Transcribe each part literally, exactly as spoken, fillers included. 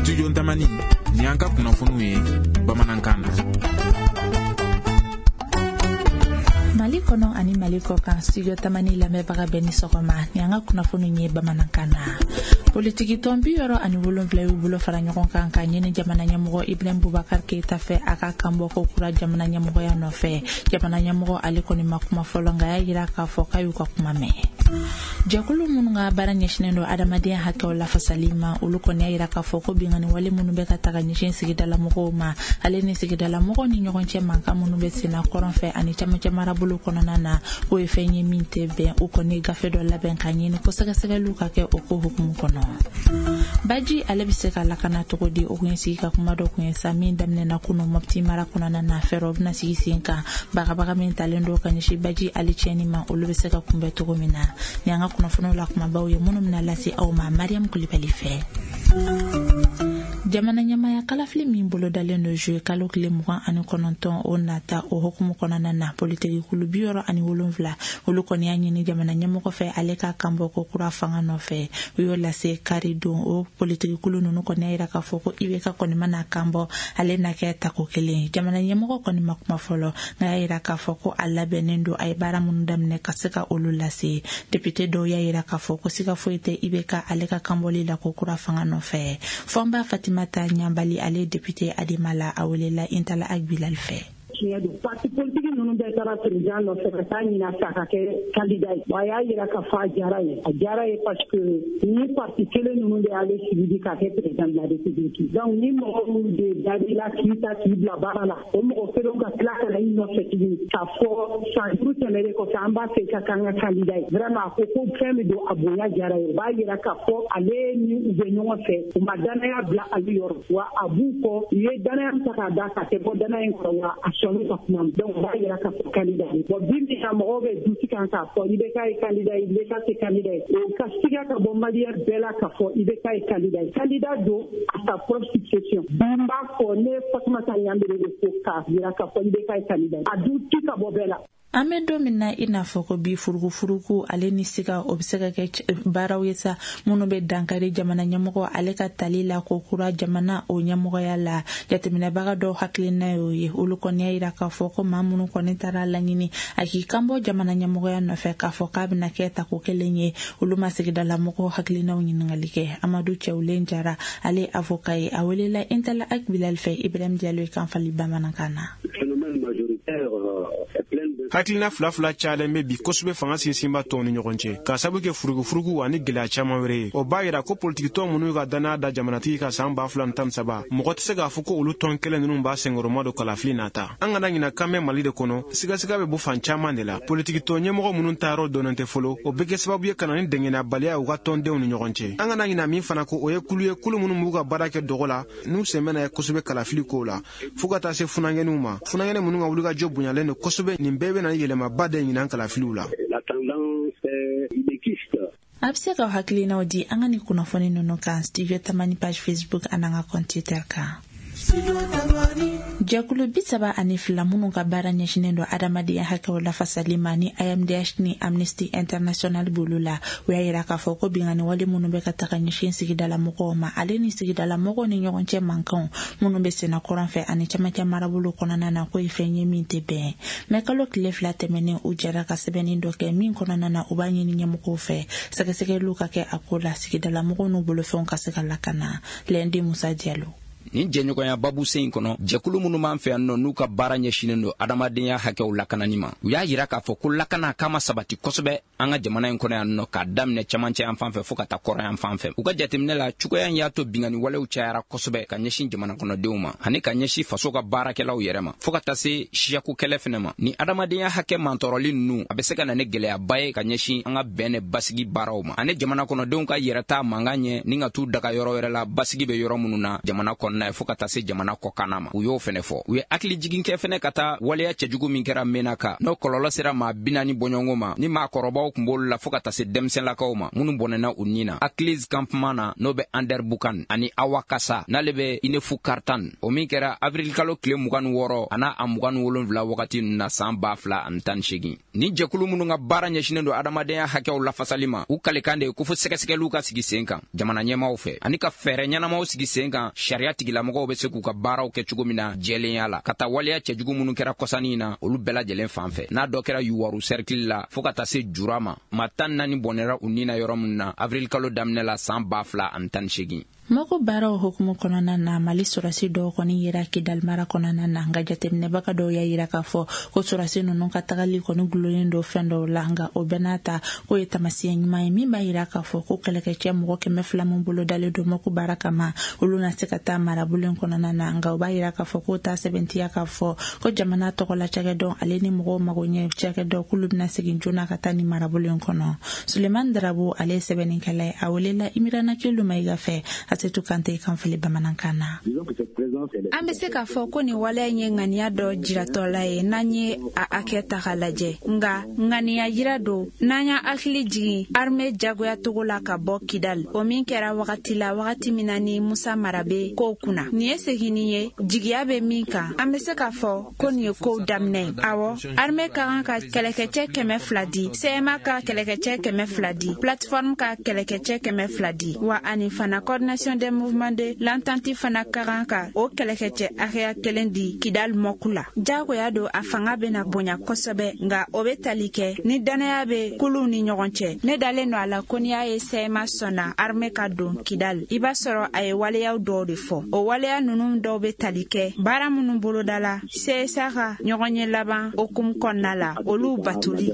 Studio Tamani, ni an ka kunnafoniw ye bamanankan na. Mali kɔnɔ ani Mali kɔ kan, Studio Tamani lamɛnbaga bɛɛ ni sɔgɔma. Ni an ka kunnafoniw ye bamanankan na. Politiki tɔn bi yɔrɔ ani wolonfila y'u bolo fara ɲɔgɔn kan ka ɲini jamana ɲɛmɔgɔ Ibrahim Boubacar Keita fɛ a ka kanbɔ ko kura jamana ɲɛmɔgɔya nɔfɛ. Jamana ɲɛmɔgɔ ale kɔni ma kuma fɔlɔ, nka y'a jira k'a fɔ k'a y'u ka kuma mɛn. Jɛkulu minnu ka baara ɲɛsinnen don adamadenya hakɛw lafasali ma, olu kɔni y'a jira k'a fɔ ko binkanni wale minnu bɛ ka taga ɲɛsin sigidalamɔgɔw ma, ale ni sigidalamɔgɔw ni ɲɔgɔn cɛ mankan minnu bɛ senna kɔrɔn fɛ ani camancɛ marabolo kɔnɔna na, k'o ye fɛn ye min tɛ bɛn. U kɔni gafe dɔ labɛn ka ɲini ko sɛgɛsɛgɛliw ka kɛ o ko hukumu kɔnɔ. Baji ale bɛ se ka lakana cogo di? O kun ye sigi ka kuma dɔ kun ye sa min daminɛna kunu Mopti mara kɔnɔna na. Fɛɛrɛw bɛna sigi sen kan bagabaga min talen don ka ɲɛsin baji ale tiɲɛni ma, olu bɛ se ka kunbɛn cogo min na. Ni an ka kunnafoniw la kumabaw ye minnu bɛna lase aw ma Mariam Kulibali fɛ. Jamana ɲɛmaya kalafili min bolodalen don juillet kalo tile mugan ani kɔnɔntɔn o nata, o hukumu kɔnɔna na, politiki kulu bi yɔrɔ ani wolonfila olu kɔni y'a ɲini jamana ɲɛmɔgɔ fɛ ale ka kanbɔ ko kura fanga nɔfɛ. U y'o lase kari don. O politiki kulu ninnu kɔni y'a jira k'a fɔ ko I B K kɔni mana kanbɔ, ale na kɛ tako kelen. Jamana ɲɛmɔgɔ kɔni ma kuma fɔlɔ, nka y'a jira k'a fɔ ko a labɛnnen don, a ye baara minnu daminɛ ka se ka olu lase. Député dɔw y'a jira k'a fɔ ko siga foyi tɛ I B K ale ka kanbɔli la ko kura fanga nɔfɛ. Fɔnba Fatima ta Ɲanbali, ale député Adema la, a welela Intala Agbilal fɛ. Tiɲɛ don, parti politique ninnu bɛɛ taara président nɔfɛ ka taa ɲini a fɛ a ka kɛ candidat ye. Wa a y'a jira k'a fɔ a diyara ye, a diyara ye parce que ni parti kelen ninnu de y'ale suivi k'a kɛ président de la République. Donc ni mɔgɔ minnu de dar'i la k'i ta k'i bila baara la, o mɔgɔ kelenw ka tila ka na i nɔfɛ tuguni k'a fɔ san duuru tɛmɛnen kɔfɛ an b'a fɛ i ka k'an ka candidat ye. Vraiment a ko ko fɛn min don, a bonya diyara ye. O b'a jira k'a fɔ ale ni u bɛ ɲɔgɔn fɛ, u ma danaya bila ale yɔrɔ, wa a b'u kɔ, u ye danaya ta k'a da k'a tɛ bɔ danaya in kɔrɔ, wa a sɔnni ka kuma. Donc o b'a jira k'a fɔ candidat ye. Bon bi min na mɔgɔw bɛ duti kan k'a fɔ I B K ye candidat ye, I B K tɛ candidat ye. O ka siga ka bɔ maliyɛn bɛɛ la k'a fɔ I B K ye candidat ye. Candidat don à sa propre succession. Bi n b'a fɔ ne Fatumata Ɲanbele de ko k'a jira k'a fɔ I B K ye candidat ye. A duti ka bɔ bɛɛ la. An bɛ don min na i n'a fɔ ko bi, furukufuruku ale ni siga o bɛ se ka kɛ baaraw ye sa minnu bɛ dankari jamana ɲɛmɔgɔ ale ka tali la ko kura jamana o ɲɛmɔgɔya la. Jateminɛbaga dɔw hakilina y'o ye. Olu kɔni y'a jira k'a fɔ ko maa minnu kɔni taara laɲini a k'i kanbɔ jamana ɲɛmɔgɔya nɔfɛ k'a fɔ k'a bɛna kɛ tako kelen ye, olu ma sigidalamɔgɔw hakilinaw ɲininkali kɛ. Amadu Cɛwulen Jara, ale avocat ye, a welela Intala Agbilal fɛ Ibrahim Diallo kan fali bamanankan na. Hakilina fila fila cayalen bɛ bi kosɛbɛ fanga sinsinba tɔnw ni ɲɔgɔn cɛ, k'a sabu kɛ furukufuruku ani gɛlɛya caman wɛrɛ ye. O b'a yira ko politikitɔn minnu ka danaya da jamanatigi ka san ba fila ni tan ni saba, mɔgɔ tɛ se k'a fɔ ko olu tɔn kelen ninnu b'a senkɔrɔma don kalafili nata. An kana ɲina kan bɛ Mali de kɔnɔ, sigasiga bɛ bɔ fan caman de la. Politikitɔn ɲɛmɔgɔ minnu taayɔrɔ dɔnnen tɛ fɔlɔ, o bɛ kɛ sababu ye ka na ni dɛngɛnɛyabaliya u ka tɔndenw ni ɲɔgɔn cɛ. An kana ɲina min fana ko o ye kulu ye, kulu minnu b'u ka baara kɛ dɔgɔ la, n'u sen bɛna ye kosɛbɛ kalafili kow la, fo ka taa se funankɛninw ma. Funankɛnin minnu ka wulikajɔ bonyalen don kosɛbɛ, nin bɛɛ bɛ na yɛlɛmaba de ɲinan kalafiliw la. A bɛ se k'aw hakilinaw di an ka nin kunnafoni ninnu kan Studio Tamani page Facebook an'an ka compte Twitter kan. Jɛkulu bi saba ani fila minnu ka baara ɲɛsinnen don adamadenya hakɛw lafasali ma ni A M D H ni Amnesty International b'olu la, u y'a jira k'a fɔ ko binkanni wale minnu bɛ ka taga ɲɛsin sigidalamɔgɔw ma, ale ni sigidalamɔgɔw ni ɲɔgɔn cɛ mankanw minnu bɛ senna kɔrɔn fɛ ani camancɛ marabolo kɔnɔna na, k'o ye fɛn ye min tɛ bɛn. Mɛ kalo tile fila tɛmɛnen, u jɛra ka sɛbɛnni dɔ kɛ min kɔnɔna na u b'a ɲini ɲɛmɔgɔw fɛ sɛgɛsɛgɛliw ka kɛ a ko la, sigidalamɔgɔw n'u bolofɛnw ka se ka lakana. Lɛndi Musa Diallo. Nin jɛɲɔgɔnya babu sen in kɔnɔ, jɛkulu minnu b'an fɛ yan nɔ n'u ka baara ɲɛsinnen don adamadenya hakɛw lakanani ma, u y'a yira k'a fɔ ko lakana k'a ma sabati kosɛbɛ an ka jamana in kɔnɔ yan nɔ, k'a daminɛ camancɛ yan fan fɛ fɔɔ ka taa kɔrɔn yan fan fɛ. U ka jateminɛ la, cogoya in y'a to binkanni walew cayara kosɛbɛ ka ɲɛsin jamana kɔnɔdenw ma ani ka ɲɛsin faso ka baarakɛlaw yɛrɛ ma, fɔɔ ka taa se siyako kɛlɛ fɛnɛ ma. Ni adamadenya hakɛ mantɔrɔli ninnu, a bɛ se ka na ni gɛlɛyaba ye ka ɲɛsin an ka bɛn ni basigi baaraw ma, ani jamana kɔnɔdenw ka yɛrɛta mankan ɲɛ ni ka t'u daga yɔrɔ wɛrɛ la basigi bɛ yɔrɔ minnu na jamana kɔnɔna. kɔnɔna ye fo ka taa se jamana kɔkanna ma. U y'o fɛnɛ fɔ. U ye hakili jigin kɛ fɛnɛ ka taa waleya cɛjugu min kɛra Menaka, n'o kɔlɔlɔ sera maa bi naani bɔɲɔgɔnko ma, ni maakɔrɔbaw kun b'olu la fo ka taa se denmisɛnlakaw ma minnu bɔnɛna u ni na Akliz campement na, n'o bɛ Anderbukan ani Awakasa, n'ale bɛ Inefu Kartan, o min kɛra avril kalo tile mugan ni wɔɔrɔ an'a a mugan ni wolonwula wagati ninnu na san ba fila ani tan ni seegin. Ni jɛkulu minnu ka baara ɲɛsinnen don adamadenya hakɛw lafasali ma, u kalekan de ye ko fo sɛgɛsɛgɛliw ka sigi sen kan jamana ɲɛmaaw fɛ, ani ka fɛɛrɛ ɲɛnamaw sigi sen kan sariya tigilamɔgɔw bɛ se k'u ka baaraw kɛ cogo min na jɛlenya la, ka taa waleya cɛjugu minnu kɛra kɔsanni na olu bɛɛ lajɛlen fan fɛ, n'a dɔ kɛra Yuwaru cercle la fo ka taa se Jura ma, maa tan naani bɔnɛra u ni na yɔrɔ min na avril kalo daminɛ la san ba fila ani tan ni seegin. Mako baaraw hukumu kɔnɔna na, Mali sɔrɔsi dɔw kɔni yera Kidal mara kɔnɔna na, nka jateminɛbaga dɔw y'a yira k'a fɔ ko sɔrɔsi ninnu ka tagali kɔni gulonnen don fɛn dɔw la, nka o bɛɛ n'a ta k'o ye taamasiyɛn ɲuman ye min b'a yira k'a fɔ ko kɛlɛkɛcɛ mɔgɔ kɛmɛ fila min bolo dalen don mako baara kama, olu na se ka taa marabolo in kɔnɔna na. Nka o b'a yira k'a fɔ k'o t'a sɛbɛntiya k'a fɔ ko jamana tɔgɔla cakɛdɔn ale ni mɔgɔw magoɲɛ cakɛdɔn k'olu bɛna segin joona ka taa nin marabolo in kɔnɔ. Sulemani Darabo ale ye sɛbɛnnikɛla ye, a welela Imirana Kelu Mayiga fɛ. Asetu Kante kan fili bamanankan na. An bɛ se k'a fɔ ko nin waleya in ye ŋaniya dɔ jiratɔla ye n'an ye a hakɛ ta k'a lajɛ, nka ŋaniya jira don n'an y'a hakili jigin armée jagoya togo la ka bɔ Kidal, o min kɛra wagati la wagati min na ni Musa Mara bɛ kow kunna. Nin ye seginni ye jigiya bɛ min kan, an bɛ se k'a fɔ ko nin ye kow daminɛ ye. Awɔ, armée ka kan ka kɛlɛkɛcɛ kɛmɛ fila di, C M A ka kɛlɛkɛcɛ kɛmɛ fila di, plateforme ka kɛlɛkɛcɛ kɛmɛ fila di, wa ani fana coordination des mouvements de l'entente fana ka kan ka o kɛlɛkɛcɛ hakɛya kelen di Kidal mɔku la. Jagoya don a fanga bɛna bonya kosɛbɛ, nka o bɛ tali kɛ ni dannaya bɛ kuluw ni ɲɔgɔn cɛ. Ne dalen don a la ko n'i y'a ye C M A sɔnna armée ka don Kidal, i b'a sɔrɔ a ye waleyaw dɔw de fɔ. O waleya ninnu dɔw bɛ tali kɛ baara minnu bolodala C S A ka ɲɔgɔnye laban hokumu kɔnɔna la, olu batoli.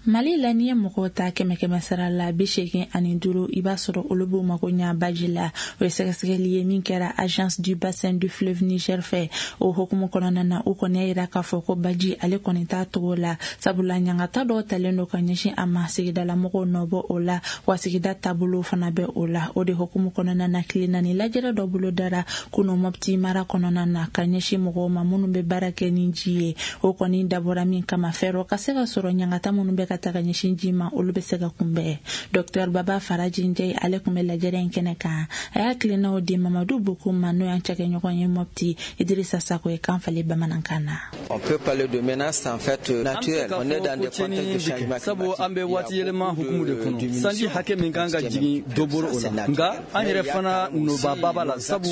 Mali la, n'i ye mɔgɔw ta kɛmɛ kɛmɛ sara la bi seegin ani duuru, i b'a sɔrɔ olu b'u mago ɲa baji la. O ye sɛgɛsɛgɛli ye min kɛra Agence du bassin du fleuve Niger fɛ. O hukumu kɔnɔna na, u kɔni y'a yira k'a fɔ ko baji ale kɔni t'a togo la, sabula ɲangata dɔw talen don ka ɲɛsin a ma, sigidalamɔgɔw nɔ bɔ o la, wa sigida taabolo fana bɛ o la. O de hukumu kɔnɔna na, tile naani lajɛrɛ dɔ bolo dara kunu Mopti mara kɔnɔna na ka ɲɛsin mɔgɔw ma minnu bɛ baara kɛ ni ji ye. O kɔni dabɔra min kama, fɛɛrɛ ka se ka sɔrɔ ɲangata minnu bɛ ka taga ɲɛsin ji ma, olu bɛ se ka kunbɛn. Docteur Baba Faraji Njayi ale tun bɛ lajɛrɛ in kɛnɛ kan. A y'a tilennaw di Mamadu Bokum ma, n'o y'an cakɛɲɔgɔn ye Mopti. Idrissa Sako ye kan falen bamanankan na. On peut parler de menace en fait naturelle. On est dans des contextes de changement climatique. Sabu an bɛ waati yɛlɛma hukumu de kɔnɔ. Sanji hakɛ min kan ka jigin dɔ bɔra o la. Nka an yɛrɛ fana nɔba b'a la, sabu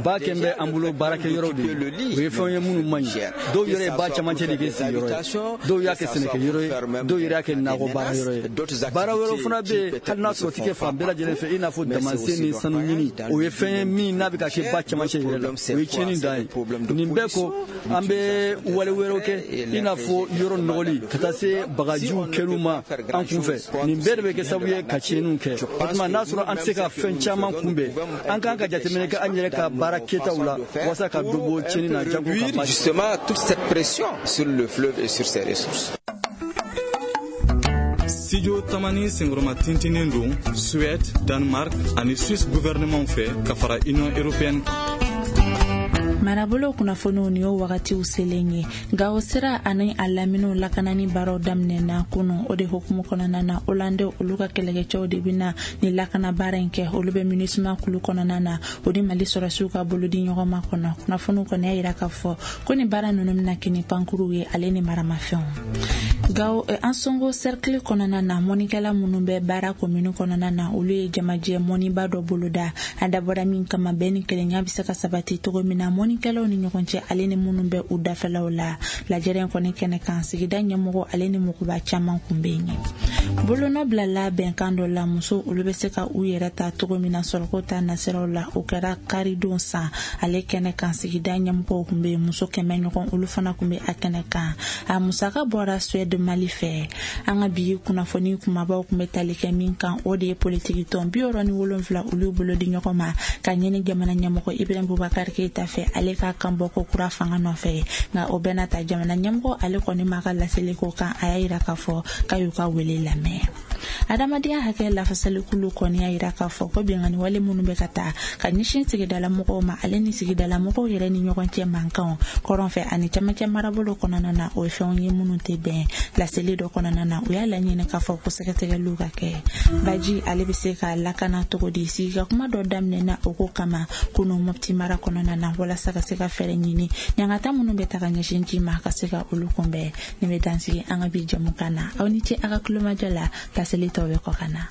ba kɛn bɛ an bolo baarakɛyɔrɔw de ye. O ye fɛnw ye minnu man ɲi. Dɔw yɛrɛ ye ba camancɛ de kɛ sigiyɔrɔ ye, dɔw y'a kɛ sɛnɛkɛyɔrɔ ye, dɔw yɛrɛ y'a kɛ nakɔ baara yɔrɔ ye. Baara wɛrɛw fana bɛ yen hali n'a sɔrɔ o tɛ kɛ fan bɛɛ lajɛlen fɛ, i n'a fɔ damansen ni sanu ɲini. O ye fɛn ye min n'a bɛ ka kɛ ba camancɛ yɛrɛ la, o ye tiɲɛni dan ye. Nin bɛɛ kɔ, an bɛ wale wɛrɛw kɛ, i n'a fɔ yɔrɔ nɔgɔli ka taa se bagajiw kɛliw ma an kunfɛ. Nin bɛɛ de bɛ kɛ sababu ye ka tiɲɛniw kɛ. O tuma n'a sɔrɔ an tɛ se ka fɛn caman kunbɛn, an kan ka jateminɛ kɛ an yɛrɛ ka baara kɛtaw la walasa ka dɔ bɔ tiɲɛni na jago ka ba. Justement, toute cette pression sur le fleuve et sur ses ressources. Studio Tamani senkɔrɔma tintinen don Suède, Danemark ani Suisse gouvernement fɛ ka fara Union européenne kan. Marabolo kunnafoniw ni y'o wagatiw selen ye. Gawo sira ani a laminiw lakanani baaraw daminɛna kunu. O de hukumu kɔnɔna na, Hollande olu ka kɛlɛkɛcɛw de bɛna ni lakana baara in kɛ. Olu bɛ MINUSMA kulu kɔnɔna na, o ni Mali sɔrɔsiw ka bolodi ɲɔgɔn ma kɔnɔ. Kunnafoniw kɔni y'a yira k'a fɔ ko ni baara ninnu bɛna kɛ ni pankuruw ye ale ni maramafɛnw. Gawo Ansongo cercle kɔnɔna na, mɔnikɛla minnu bɛ baara commune kɔnɔna na, olu ye jamajɛ mɔniba dɔ boloda. A dabɔra min kama, bɛn ni kelenya bɛ se ka sabati cogo min na mɔnikɛlaw ni ɲɔgɔn cɛ ale ni minnu bɛ u dafɛlaw la. Lajɛrɛ in kɔni kɛnɛ kan, sigida ɲɛmɔgɔ ale ni mɔgɔba caman kun bɛ yen. Bolonɔ bilala bɛnkan dɔ la, muso olu bɛ se ka u yɛrɛ ta cogo min na sɔrɔko ta nasiraw la. O kɛra karidon san ale kɛnɛ kan, sigida ɲɛmɔgɔw kun bɛ yen, muso kɛmɛ ɲɔgɔn olu fana kun bɛ a kɛnɛ kan. A musaka bɔra Suède Mali fɛ. An ka bi kunnafoni kumabaw kun bɛ tali kɛ min kan, o de ye politiki tɔn bi wɔɔrɔ ni wolonwula olu bolo di ɲɔgɔn ma ka ɲini jamana ɲɛmɔgɔ Ibrahim Boubacar Keïta fɛ ale ka kan bɔ ko kura fanga nɔfɛ. Nka o bɛɛ n'a ta, jamana ɲɛmɔgɔ ale kɔni m'a ka laseli ko kan, a y'a yira k'a fɔ k'a y'u ka wele lamɛn. Adamadenya hakɛ lafasalikulu kɔni y'a yira k'a fɔ ko binkanni wale minnu bɛ ka taa ka ɲɛsin sigidala mɔgɔw ma, ale ni sigidala mɔgɔw yɛrɛ ni ɲɔgɔn cɛ mankanw kɔrɔn fɛ ani camancɛ marabolo kɔnɔna na, o ye fɛnw ye minnu tɛ bɛn. Laseli dɔ kɔnɔna na, u y'a laɲini k'a fɔ ko sɛgɛsɛgɛliw ka kɛ. Baji ale bɛ se ka lakana cogo di? Sigika kuma dɔ daminɛna o ko kama kunu Mopti mara kɔnɔna na, walasa ka se ka fɛɛrɛ ɲini ɲangata minnu bɛ taga ɲɛsin ji ma ka se ka olu kunbɛn. Nin bɛ dansigi an ka bi jɛmukan na. Aw ni ce a ka kulomajɔ la. Laseli tɔw bɛ kɔ ka na.